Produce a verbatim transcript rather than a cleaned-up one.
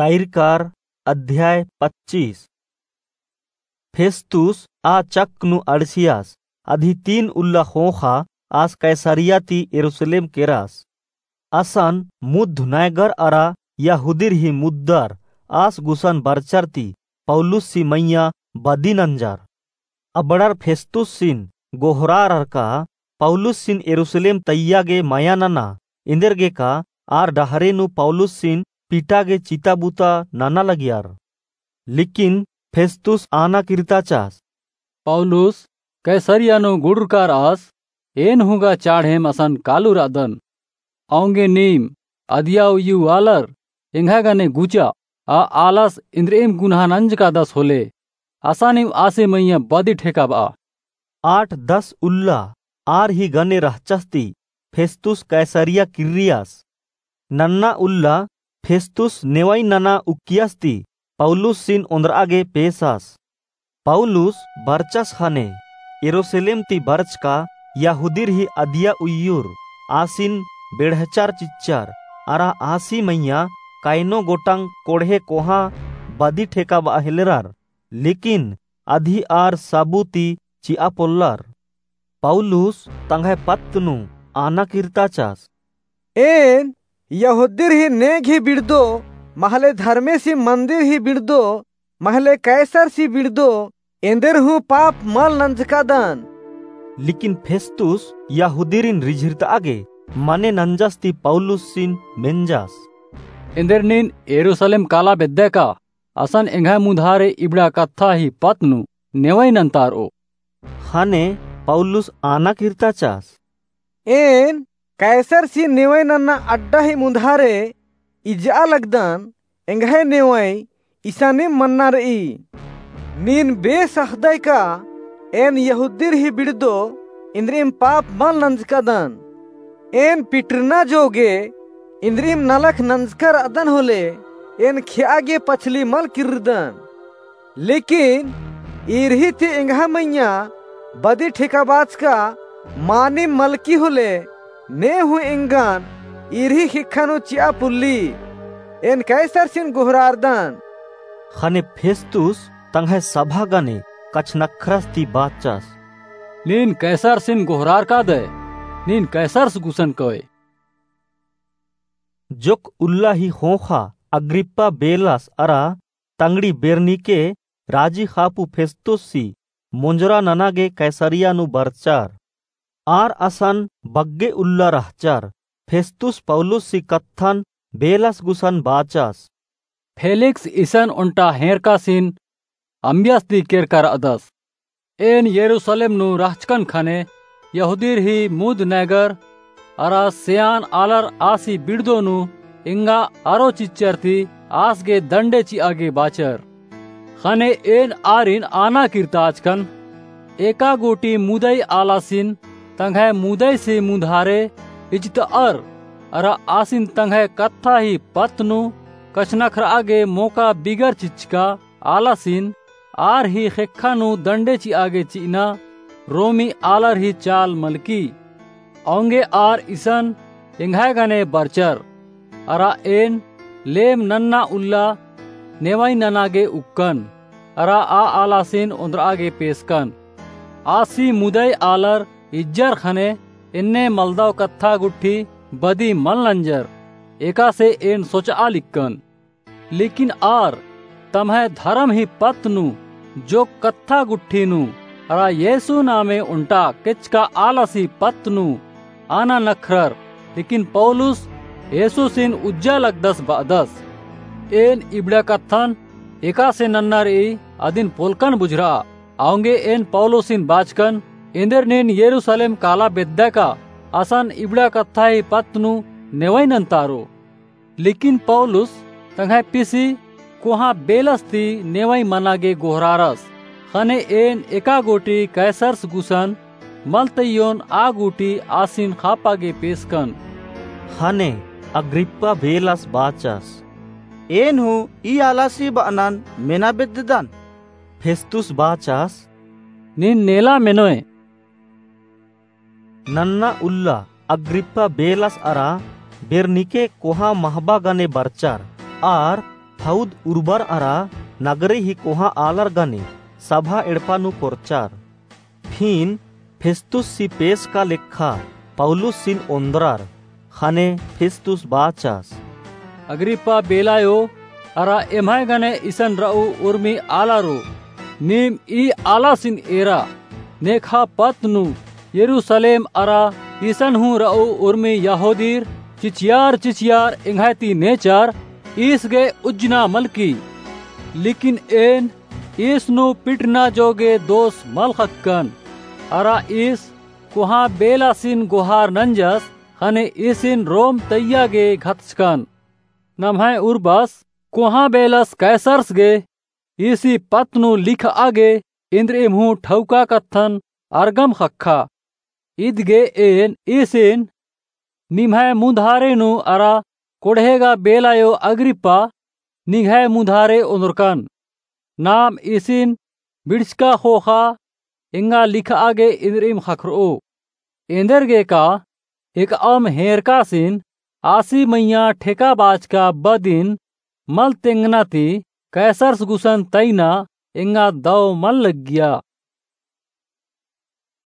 ताइरकार अध्याय पच्चीस। फेस्तुस आ चक्क नू अंड़सियास, अदी तीन उल्ला ख़ोख़ा आस कैसरिया ती यरूसलेम केरास। असन मुद्ध नैगर अरा यहूदीर ही मुद्दर आस गुसन बरचर ती पौलुस सी मइय्याँ बदी नंजर। अबड़र फेस्तुसिन गोहरारर का पौलुसिन यरूसलेम तइय्या गे मया नना, एन्देरगे का आर डहरे नू पौलुसिन पीटा गे चिता बुता नना लगियर। लेकिन फेस्तुस आना किर्ताचास, पौलुस कैसरिया नू गुड़रकार आस, एन हूँ गा चाढ़ेम असन कालू रअदन। औंगे नीम अदिया उइयु आलर एंग्है गने गुचा, आ आलस इन्द्रिइम गुनहा नंजकादस होले, असानिम आसे मइय्याँ बदी ठेकाबआ। आठ दस उल्ला आर ही गने रहचस ती फेस्तुस कैसरिया किर्रियास। नन्ना उल्ला फेस्तुस नेवई नना उक्कियस ती पौलुसिन ओन्द्रआ गे पेसास। पौलुस बरचस ख़ने यरूसलेम ती बरचका यहूदीर ही अदिया उइयुर आसिन बेड़हचर चिच्चर, अरा आसी मइय्याँ कैनो गोटंग कोड़हे कोहाँ बदी ठेकाबआ हेलरर, लेकिन अदी आर साबु ती चिआ पोल्लर। पौलुस तंग्है पत्त नू आना किर्ताचास, एन यहूदीर ही नेग ही बिड़दो, महले धर्मेसी मन्दिर ही बिड़दो, महले कैसर सी बिड़दो, एन्देर हूँ पाप मल नंजकादन। लेकिन फेस्तुस यहूदीरिन रिझिरतआ गे मने नंजस ती पौलुसिन मेंजस, एन्देर नीन यरूसलेम काला बेद्दय का? असन एंग्है मुधारे इबड़ा कत्था ही पत्त नू नेवई नन्तारओ। ख़ने पौलुस आना किर्ताचास, एन कैसर सी नेवई नन्ना अड्डा ही मुधारे इजआ लगदन, एंग्है नेवई इसानिम मन्ना रई। नीन बेस अख़दय का एन यहूदीर ही बिड़दो, इन्द्रिइम पाप मल नंजकादन। एन पिटरना जोगे इन्द्रिइम नलख नंजकर अदन होले, एन खेआ गे पछली मल किर्रदन। लेकिन ईर ही ती एंग्है मइय्याँ बदी ठेकाबाचका मानिम मलकी होले, ने हूँ एंगन ईर ही ख़ेक्खा नू चिआ पुल्ली। एन कैसरसिन गोहरारदन। ख़ने फेस्तुस तंग्है सभा गने कछनख्रस ती बाचस, नीन कैसरसिन गोहरारकादय, नीन कैसरस गुसन कओय। जोक्क उल्ला ही ख़ोख़ा अग्रिप्पा बेलस अरा तंगड़ी बेरनीके राजी ख़ापू फेस्तुस सी मोंजरा नना गे कैसरिया नू बरचर। आर असन बग्गे उल्ला रहचर। फेस्तुस पौलुस सी कत्थन बेलस गुसन बाचस, फेलिक्स इसन ओन्टा हेंरकासिन अम्बियस ती केरका रअदस। एन यरूसलेम नू रहचकन ख़ने यहूदीर ही मुद नैगर अरा सेआन आलर आसी बिड़दो नू एंगा अरो चिच्चर ती आस गे दंडे चिआ गे बाचर। ख़ने एन आरिन आना किर्ताचकन, एका गूटी मुदई आलासिन तंग्है मुदई सी मुधारे इजतअर अरा आसिन तंग्है कत्था ही पत्त नू कछनख्रआ गे मोका बिगर चिच्चका आलासिन आर ही ख़ेक्खा नू दंडे चिआ गे चिअना रोमी आलर ही चाल मलकी। औंगे आर इसन एंग्है गने बरचर, अरा एन लेम नन्ना उल्ला नेवई नना गे उक्कन, अरा आ आलासिन ओन्द्रआ गे पेसकन। आसी मुदई आलर इज्जर ख़ने एन्ने मलदव कत्था गुट्ठी बदी मल नंजर, एकासे एन सोचआ लिक्कन। लेकिन आर तम्है धरम ही पत्त नू जोक्क कत्था गुट्ठी नू अरा येसु नामे ओन्टा केचका आलासी पत्त नू आना नखरर, लेकिन पौलुस येसुसिन उज्जा लगदस बअदस। एन इबड़ा कत्थन एकासे नन्ना रई अदिन पोलकन बुझरआ। औंगे एन पौलुसिन बाचकन, एन्देर नीन यरूसलेम काला बेद्दा का? असन इबड़ा कत्था ही पत्त नू नेवई नन्तारो। लेकिन पौलुस तंग्है पिसी कोहाँ बेलस ती नेवई मना गे गोहरारस। ख़ने एन एका गूटी कैसरस गुसन मल तइयोन आ गूटी आसिन ख़ापा गे पेसकन। ख़ने अग्रिप्पा बेलस बाचस, एन हूँ ई आलासी बअनन मेना बेद्ददन। फेस्तुस बाचस, नीन नेला मेनोय। नन्ना उल्ला अग्रिप्पा बेलस अरा बेरनीके कोहाँ महबा गने बरचर, आर फौद उर्बर अरा नगरी ही कोहाँ आलर गने सभा एड़पा नू कोरचर। फिन फेस्तुससी पेस का लेखा पौलुससिन ओन्द्रर। ख़ने फेस्तुस बाचस, अग्रिप्पा बेलायो, अरा एम्है गने इसन रऊ उर्मी आलारो, नीम ई आलासिन एरा, नेखा पत्त नू यरूसलेम अरा इसन हूँ रऊ उर्मी यहूदीर चिचियार चिचियार एंग्है ती नेचर ईस गे उज्जना मलकी। लेकिन एन ईस नू पिटना जोगे दोस मल ख़क्कन। अरा ईस कोहाँ बेलासिन गोहार नंजस, ख़ने ईसिन रोम तैया गे घतचकन। नम्है उर्बस कोहाँ बेलस कैसरस गे ईसी पत्त नू लिखआ गे इन्द्रिइम हूँ ठौका कत्थन अरगम ख़क्खा। इदगे एन ईसिन निम्है मुन्धारे नू अरा कोड़हेगा बेलायो अग्रिप्पा, निंग्है मुन्धारे ओन्द्रकन। नाम ईसिन बिड़चका ख़ोख़ा एंगा लिखआ गे इन्द्रिइम ख़क्खरओ। एन्देरगे का एकअम हेंरकासिन आसी मइय्याँ ठेका बाचका बदिन मल तेंगना ती कैसरस गुसन तइना एंगा दौ मल लग्गिया।